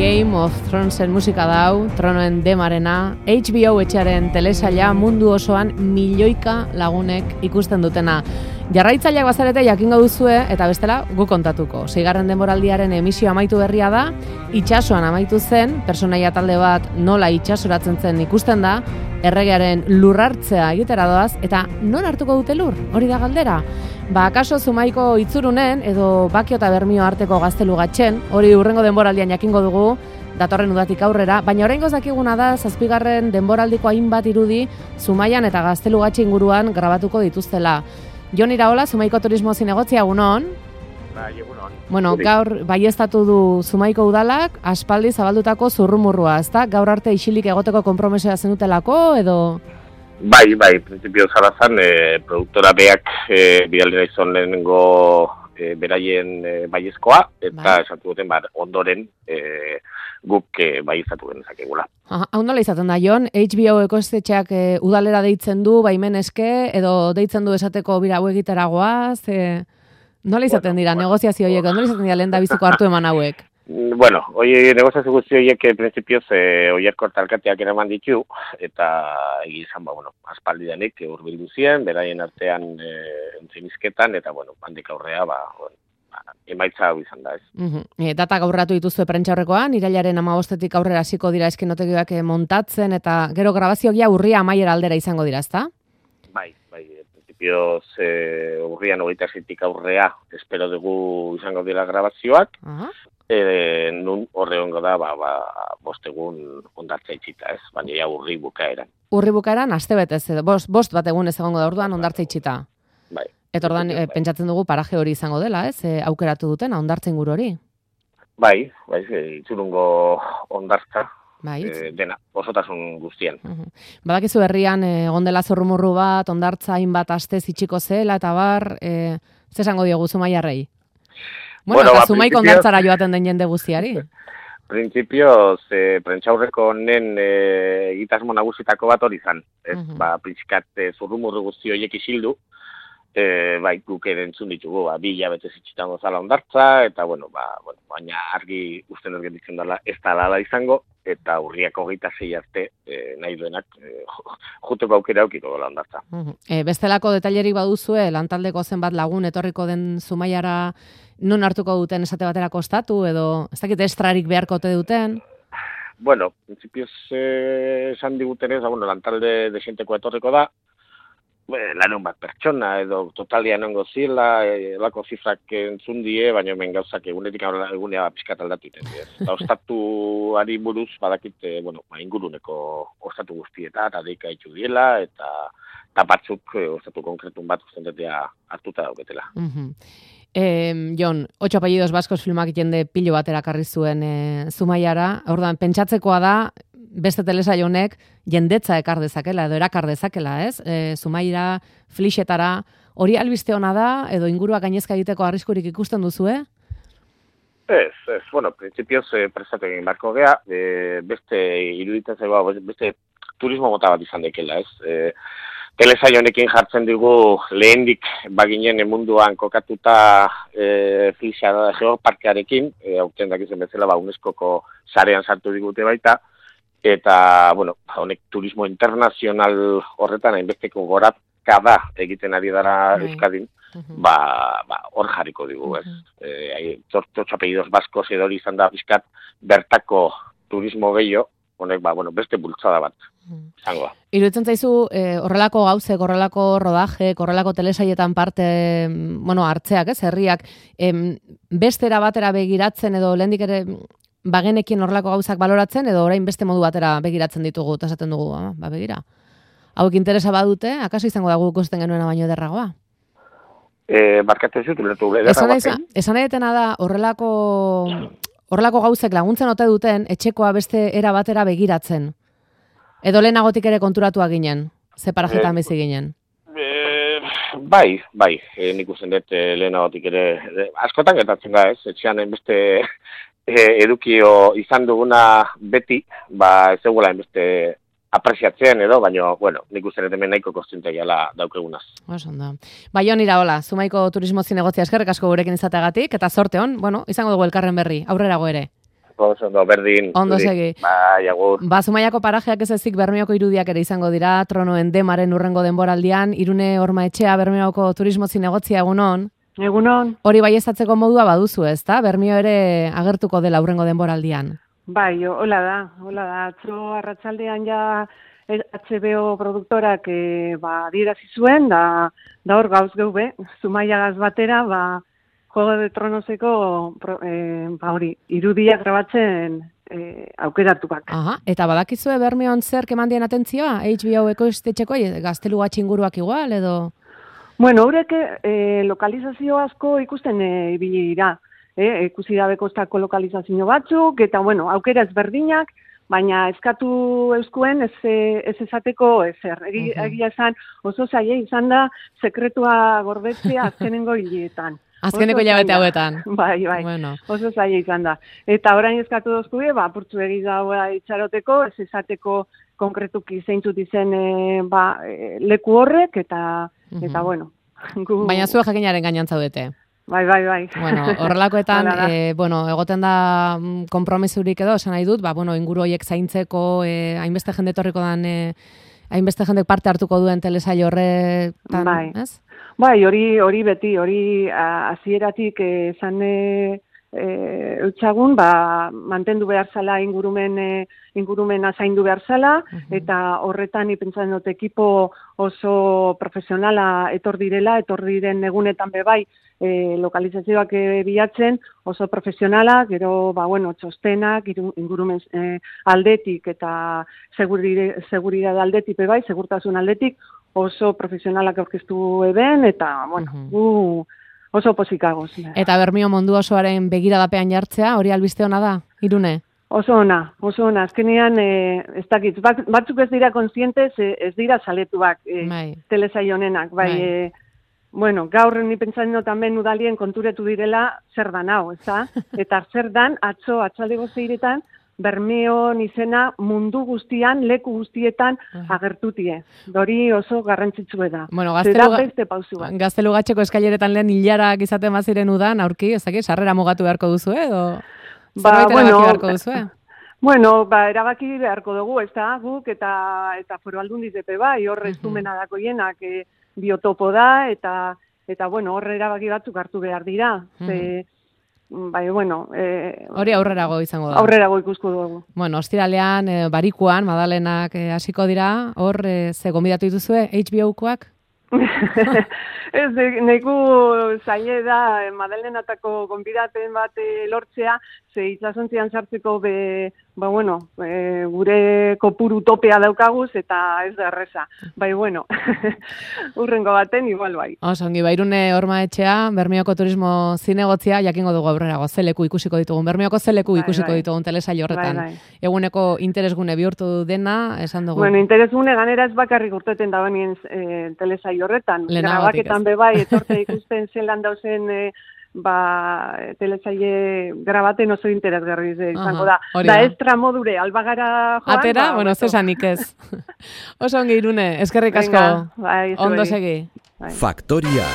Game of Thronesen musika dau, Tronoen demarena, HBO etxearen telesaila mundu osoan milioika lagunek ikusten dutena. Jarraitzaileak bazarete jakingo duzue, eta bestela gu kontatuko. 6. denboraldiaren emisio amaitu berria da, itsasoan amaitu zen, pertsonaia talde bat nola itsasoratzen zen ikusten da, erregearen lurrartzea egitera doaz, eta non hartuko dute lur? Hori da galdera. Akaso Zumaiko itzurunen, edo Bakio eta Bermio arteko gaztelu gatzen, hori hurrengo denboraldian jakingo dugu, datorren udatik aurrera, baina oraingoz dakiguna da 7. denboraldiko hainbat irudi Zumaian eta gaztelu gatxe inguruan grabatuko dituztela. Jon Iraola, Zumaiko Turismo Zinegotzia, egunon? Egunon. Bueno, gaur baieztatu du Zumaiko udalak, aspaldi zabaldutako zurrumurrua, ezta? Gaur arte isilik egoteko konpromesoa zenutelako, edo... Bai, prinsipio zarazan, produktora beak bidaldera izan lehenengo beraien baiezkoa, eta esatu duten ondoren guk baieztatu genezakegula. Hau nola izaten da, Jon? HBO ekoiztetxeak udalera deitzen du, baimen eske, edo deitzen du esateko bira hau egitera goaz? Nola izaten dira negoziazio horiek, nola izaten dira lehen da biziko hartu eman hauek? Bueno, negoziazio guzti horiek prinsipioz oierko alkateak eraman ditu, eta egizan, aspaldi denik urbildu ziren, beraien artean entzinizketan, eta, handik aurrea, emaitza hau izan da, ez. Data gaurratu dituzue prentxaurrekoan, irailaren 15-etik aurrera hasiko dira eskenotegioak montatzen, eta gero grabazioa urria amaiera aldera izango dira, ezta? Bai, prinsipioz urrian 27-tik aurrea espero dugu izango dira grabazioak, nun horre hongo da, 5 egun ondartza itxita, ez? Baina ja urri bukaeran. Urri bukaeran, aste betez, bost bat egun ez egongo da orduan ondartza itxita. Bai. Eta orduan, pentsatzen dugu paraje hori izango dela, ez? Aukeratu dutena, ondartzen guru hori. Bai, itzurungo ondartza. Bai, dena, osotasun guztien. Badakizu herrian, egon dela zorrumurru bat, ondartza hainbat astez itxiko zela, eta bar, zesango diogu Zumaiarrei? Bueno, eta Zumaiko ondartzara joaten den jende guztiari. Printzipioz, prentxaurreko honen egitasmo nagusitako bat hori izan. Printsikat zurrumurru guzti horiek isildu, guk entzun ditugu, 2 hilabete zitxitan gozala ondartza, eta, baina argi usten ez gelditzen dela ez da lala izango, eta urriak 26 arte nahi duenak juteko aukera aukiko dela ondartza. Bestelako detailerik baduzue, lantaldeko zenbat lagun etorriko den Zumaiara non hartuko duten esate batera kostatu, edo ez dakit estrarik beharko ote duten? Bueno, prinsipioz esan digutenez, lantalde desenteko etorriko da, laneun bat pertsona, edo totalia nongo zila, lako zifrak entzun die, baina hemen gauzak egunetik egunea pixkat aldatu iten. Eta ostatuari buruz, badakit, inguruneko ostatu guztieta, eta deika itxu diela, eta batzuk ostatu konkretun bat ustentetea hartuta dauketela. Jon, 8 apellidos baskos filmak jende pilo batera karri zuen Zumaiara, orduan pentsatzekoa da, beste telesail honek jendetza ekar dezakela, edo erakar dezakela, ez? Zumaira, Flixetara, hori albiste ona da, edo ingurua gainezka egiteko arriskurik ikusten duzue? Ez, prinsipioz presatu egin barko gea, beste iruditzen zaiba, beste turismo mota bat izan dekela, ez? Telesail honekin jartzen dugu lehendik baginen munduan kokatuta Flixa geoparkearekin, aurten dakizen bezala UNESCOko sarean sartu digute baita, eta, honek turismo internazional horretan hainbesteko gorakada egiten ari dara Euskadin, hor jarriko digu, ez? Zortxo apellidos baskos edo hori izan da bizkat bertako turismo gehiago, honek, beste bultzada bat izango da. Iruditzen zaizu, horrelako gauzek, horrelako rodaje, horrelako telesaietan parte, hartzeak, ez, herriak, bestera batera begiratzen edo lehendik ere bagenekin horrelako gauzak baloratzen, edo orain beste modu batera begiratzen ditugu, eta esaten dugu, begira. Hauek interesa badute, akaso izango da guk ikusten genuena baino ederragoa? Barkatu zut, ulertu ederragoa. Esan edetena da, horrelako gauzek laguntzen ote duten, etxekoa beste era batera begiratzen. Edo lehenagotik ere konturatuak ginen, ze parajetan bizi ginen. Bai, nik usten dut lehenagotik ere, askotan gertatzen da, ez? Etxean beste edukio izan duguna beti, ez egula beste apresiatzen edo, baina, nik uste dut hemen nahiko kostiente gala daukegunaz. Osonda. Jon Iraola, Zumaiko Turismo Zinegotzia eskerrik asko gurekin izateagatik, eta zorte hon, izango dugu elkarren berri, aurrerago ere. ondo, berdin. Ondo segi. Bai, agur. Zumaiako parajeak ez ezik Bermeoko irudiak ere izango dira, Tronoen Demaren urrengo denboraldian, Irune Hormaetxea Bermeoko turismo zinegotzia egunon. Egunon. Hori baieztatzeko modua baduzu, ezta? Bermeo ere agertuko dela urrengo denboraldian. Bai, hola da. Atzo arratsaldean ja HBO produktorak adierazi zuen, da hor gauz geube, Zumaiagaz batera, Juego de Tronoseko irudiak grabatzen aukeratuak. Aha, eta badakizue Bermeon zer kemandien atentzioa? HBO-eko estetxeko gaztelu gatxinguruak igual, edo? Bueno, horrek lokalizazio asko ikusten ibili dira. Ikusi dabe kostako lokalizazio batzuk, eta aukera ezberdinak, baina eskatu euskuen ez esateko ezer. Egia esan oso zaila izan da sekretua gordetzea azkenengo hileetan. Azkeneko hilabete hauetan. Bai, bueno. Oso zaila izan da. Eta orain eskatu dozkue, apurtzu egizagoa itxaroteko, ez esateko konkretuki zeintzut izen leku horrek, eta bueno. Baina zuek jakinaren gainean zaudete. Bai. Bueno, horrelakoetan, egoten da konpromesurik edo, esan nahi dut, inguru horiek zaintzeko, hainbeste jende etorriko dan, hainbeste jendek parte hartuko duen telesail horretan, ez? Bai, hori beti, hori hasieratik esan eutxagun, mantendu behar zala ingurumena zaindu behar zala, eta horretan ipentsan dut ekipo oso profesionala etor diren egunetan bebai lokalizazioak bilatzen, oso profesionala, gero, txostenak, ingurumen aldetik eta seguridad aldetik bebai, segurtasun aldetik, oso profesionalak aurkeztu eben, eta, oso posikagoz. Eta Bermeo mundu osoaren begiradapean jartzea, hori albiste ona da, Irune? Oso ona. Azkenean, ez dakit, batzuk ez dira kontzientez, ez dira saletuak telesail honenak, bai. Gaur ni pentsatzen dut hemen udalien konturetu direla zer dan hau, ezta? Eta zer dan, atxaldeko 6etan, Bermeon izena mundu guztian, leku guztietan agertutie. Hori oso garrantzitsue da. Bueno, Gaztelugatxeko eskaileretan lehen hilarak izaten baziren udan, aurki, ezakit, sarrera mugatu beharko duzu, edo zerbait erabaki beharko duzu, erabaki beharko dugu, ez da, guk eta Foru Aldundiz epe bai, horre estumena dako hienak biotopo da, eta horre erabaki batzuk hartu behar dira. Hori aurrerago izango da. Aurrerago ikusko dugu. Bueno, ostiralean, Barikuan, Madalenak hasiko dira, hor, ze gonbidatu dituzue, HBO-koak? Ez, neku zaile da Madalenatako gonbidaten bat lortzea, ze itsasontzian sartzeko gure kopuru topea daukaguz, eta ez da erreza. Urrengo baten igual bai. Ongi, Irune Hormaetxea, Bermeoko turismo zinegotzia, jakingo dugu aurrerago, zeleku ikusiko ditugun, Bermeoko zeleku ikusiko ditugun telesail horretan. Eguneko interesgune bihurtu dena, esan dugu. Interesgune ganera ez bakarrik urteten da benien telesail horretan. Grabaketan bebai, etorte ikusten zelan dauzen telesaile grabaten oso interesgarri izango da. Da estra modure, albagara joan. Atera, zesanik ez. Oso ongi Irune, eskerrik asko. Ondo segi. Faktoria.